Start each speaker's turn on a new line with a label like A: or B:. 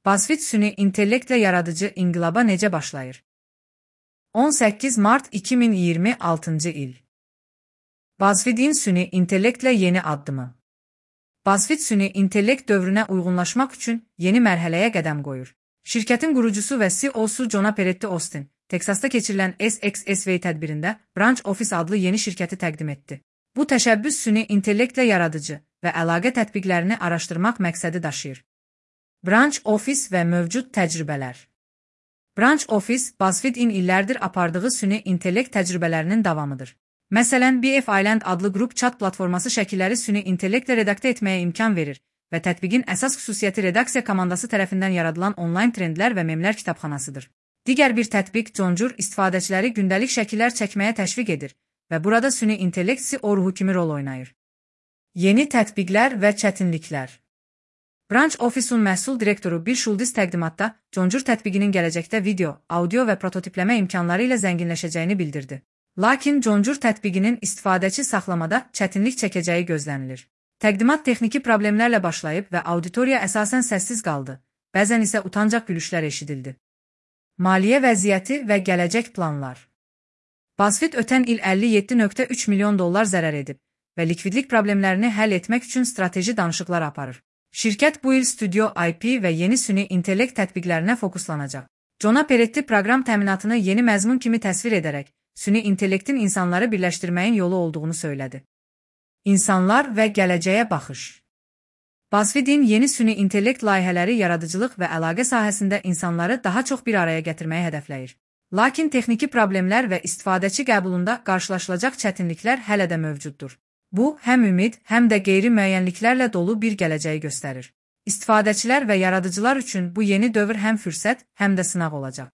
A: BuzzFeed süni intellektlə yaradıcı inqilaba necə başlayır? 18 Mart 2026 il. BuzzFeed'in süni intellektlə yeni addımı. BuzzFeed süni intellekt dövrünə uyğunlaşmaq üçün yeni mərhələyə qədəm qoyur. Şirkətin qurucusu və CEO-su John Peretti Austin, Teksasda keçirilən SXSW tədbirində Branch Office adlı yeni şirkəti təqdim etdi. Bu təşəbbüs süni intellektlə yaradıcı və əlaqə tətbiqlərini araşdırmaq məqsədi daşıyır. Branch Office və mövcud təcrübələr. Branch Office, BuzzFeed-in illərdir apardığı süni intellekt təcrübələrinin davamıdır. Məsələn, BF Island adlı qrup chat platforması şəkilləri süni intellektlə redaktə etməyə imkan verir və tətbiqin əsas xüsusiyyəti redaksiya komandası tərəfindən yaradılan onlayn trendlər və memlər kitabxanasıdır. Digər bir tətbiq Conjur istifadəçiləri gündəlik şəkillər çəkməyə təşviq edir və burada süni intellekt CEO ruhu kimi rol oynayır. Yeni tətbiqlər və çətinliklər. Branch Office-un məhsul direktoru Bill Schultes təqdimatda Conjur tətbiqinin gələcəkdə video, audio və prototipləmə imkanları ilə zənginləşəcəyini bildirdi. Lakin Conjur tətbiqinin istifadəçi saxlamada çətinlik çəkəcəyi gözlənilir. Təqdimat texniki problemlərlə başlayıb və auditoriya əsasən səssiz qaldı, bəzən isə utancaq gülüşlər eşidildi. Maliyyə vəziyyəti və gələcək planlar. BuzzFeed ötən il $57.3 milyon zərər edib və likvidlik problemlərini həll etmək üçün strateji danışıqlar aparır. Şirkət bu il Studio IP və yeni süni intellekt tətbiqlərinə fokuslanacaq. John Peretti proqram təminatını yeni məzmun kimi təsvir edərək, süni intellektin insanları birləşdirməyin yolu olduğunu söylədi. İnsanlar və gələcəyə baxış. BuzzFeed-in yeni süni intellekt layihələri yaradıcılıq və əlaqə sahəsində insanları daha çox bir araya gətirməyi hədəfləyir. Lakin texniki problemlər və istifadəçi qəbulunda qarşılaşılacaq çətinliklər hələ də mövcuddur. Bu, həm ümid, həm də qeyri-müəyyənliklərlə dolu bir gələcəyi göstərir. İstifadəçilər və yaradıcılar üçün bu yeni dövr həm fürsət, həm də sınaq olacaq.